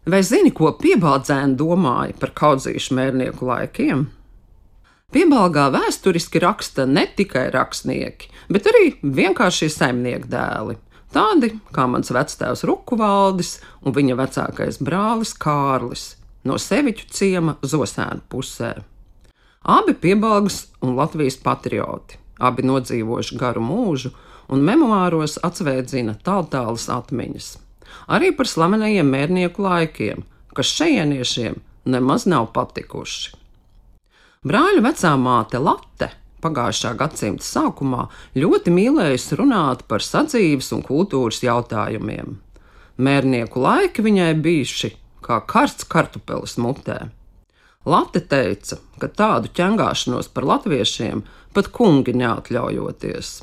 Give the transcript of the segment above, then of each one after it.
Vai zini, ko Piebaldzēni domāja par kaudzīšu mērnieku laikiem? Piebalgā vēsturiski raksta ne tikai rakstnieki, bet arī vienkāršie saimnieku dēli. Tādi kā mans vectēvs Rukuvaldis un viņa vecākais brālis Kārlis no Seviķu ciema Zosēnu pusē. Abi Piebalgas un Latvijas patrioti, abi nodzīvojuši garu mūžu un memoāros atsvēdzina tāltālas atmiņas. Arī par slavenajiem mērnieku laikiem, kas šejieniešiem nemaz nav patikuši. Brāļu vecā māte Late pagājušā gadsimta sākumā ļoti mīlējusi runāt par sadzīves un kultūras jautājumiem. Mērnieku laiki viņai bijuši kā karsts kartupelis mutē. Late teica, ka tādu ķengāšanos par latviešiem pat kungi neatļaujoties.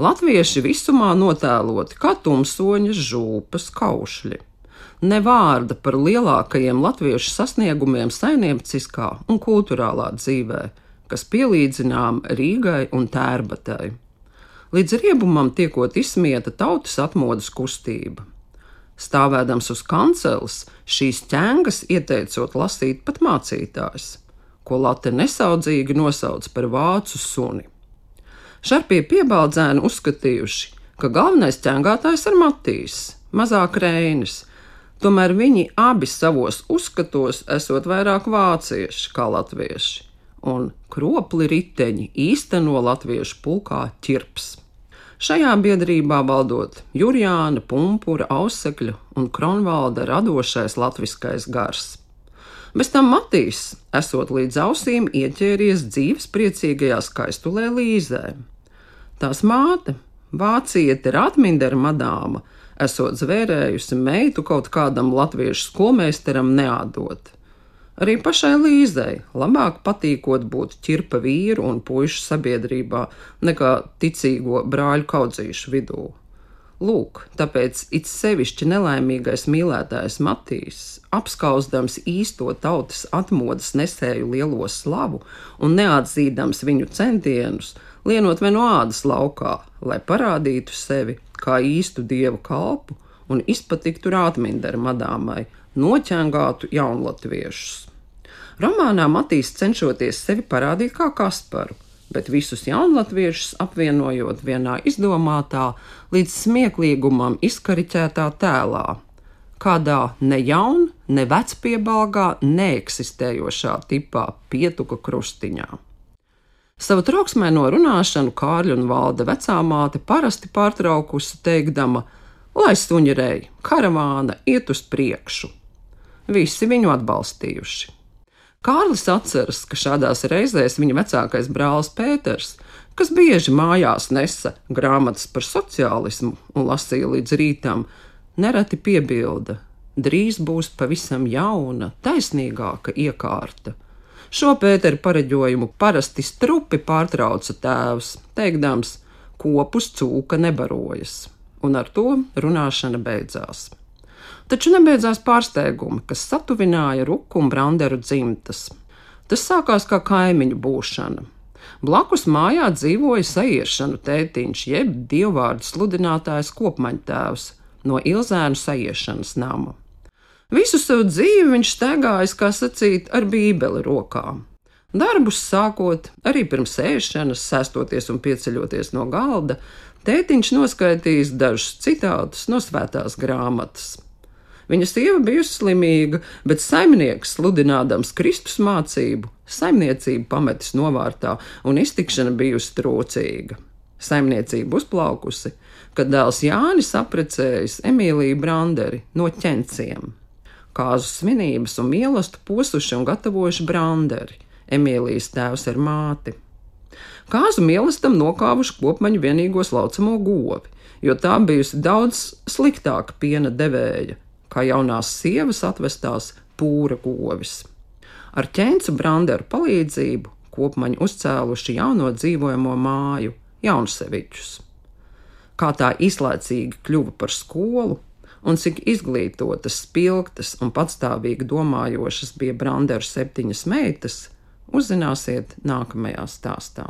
Latvieši visumā notēloti kā tumsoņas, žūpas, kaušļi. Ne vārda par lielākajiem latviešu sasniegumiem saimnieciskā un kultūrālā dzīvē, kas pielīdzinām Rīgai un Tērbatai. Līdz riebumam tiekot izsmieta tautas atmodas kustība. Stāvēdams uz kanceles, šīs ķengas ieteicot lasīt pat mācītājs, ko Late nesaudzīgi nosauc par vācu suni. Šarpie Piebaldzēni uzskatījuši, ka galvenais ķengātājs ir Matīs, mazāk Reinis, tomēr viņi abi savos uzskatos esot vairāk vācieši kā latvieši, un kropli riteņi īsteno latviešu pulkā ķirps. Šajā biedrībā valdot Jurjāna, Pumpura, Ausekļa un Kronvalda radošais latviskais gars. Bez tam Matīs esot līdz ausīm ieķēries dzīves priecīgajā skaistulē Līzē. Tās māte, vāciete Rātmindera madāma, esot zvērējusi meitu kaut kādam latviešu skolmeisteram neādot. Arī pašai Līzei labāk patīkot būt ķirpa vīru un puišu sabiedrībā nekā ticīgo brāļu kaudzīšu vidū. Lūk, tāpēc it sevišķi nelaimīgais mīlētājs Matīs, apskauzdams īsto tautas atmodas nesēju lielo slavu un neatzīdams viņu centienus, lienot vai no ādas laukā, lai parādītu sevi kā īstu dievu kalpu un izpatiktu Rātmindera madāmai, noķengātu jaunlatviešus. Romānā Matīs cenšoties sevi parādīt kā Kasparu, bet visus jaunlatviešus apvienojot vienā izdomātā, līdz smieklīgumam izkariķētā tēlā, kādā ne jaun, ne vecpiebalgā neeksistējošā tipā Pietuka krustiņā. Savu trauksmēno runāšanu Kārļa un Valda vecāmāte parasti pārtraukusi teikdama: lai suņirēji, karavāna iet uz priekšu. Visi viņu atbalstījuši. Kārlis atceras, ka šādās reizēs viņa vecākais brālis Pēters, kas bieži mājās nesa grāmatas par sociālismu un lasīja līdz rītam, nereti piebilda: drīz būs pavisam jauna, taisnīgāka iekārta. Šo Pēteru pareģojumu parasti strupi pārtrauca tēvs, teikdams: kopus cūka nebarojas, un ar to runāšana beidzās. Taču nebeidzās pārsteigumi, kas satuvināja Ruku un Branderu dzimtas. Tas sākās kā kaimiņu būšana. Blakus mājā dzīvoja Sajiešanu tētiņš, jeb dievvvārdu sludinātājs Kopmaņtēvs no Ilzēnu Sajiešanas nama. Visu savu dzīvi viņš staigājis, kā sacīt, ar bībeli rokā. Darbus sākot, arī pirms ēšanas, sēstoties un pieceļoties no galda, tētiņš noskaitījis dažus citātus no svētās grāmatas. Viņa sieva bijusi slimīga, bet saimnieks, sludinādams Kristus mācību, saimniecību pametis novārtā un iztikšana bijusi trūcīga. Saimniecība uzplaukusi, kad dēls Jānis apprecējis Emīliju Branderi no Ķenciem. Kāzu svinības un mīlestību posuši un gatavojuši Branderi, Emīlijas tēvs ar māti. Kāzu mīlestam nokāvuši Kopmaņu vienīgos laucamo govi, jo tā bijusi daudz sliktāka piena devēja, kā jaunās sievas atvestās pūra govis. Ar Ķencu Branderu palīdzību Kopmaņi uzcēluši jauno dzīvojamo māju, Jaunseviķus. Kā tā izlaicīgi kļuva par skolu un cik izglītotas, spilgtas un patstāvīgi domājošas bija Branderu 7 meitas, uzzināsiet nākamajā stāstā.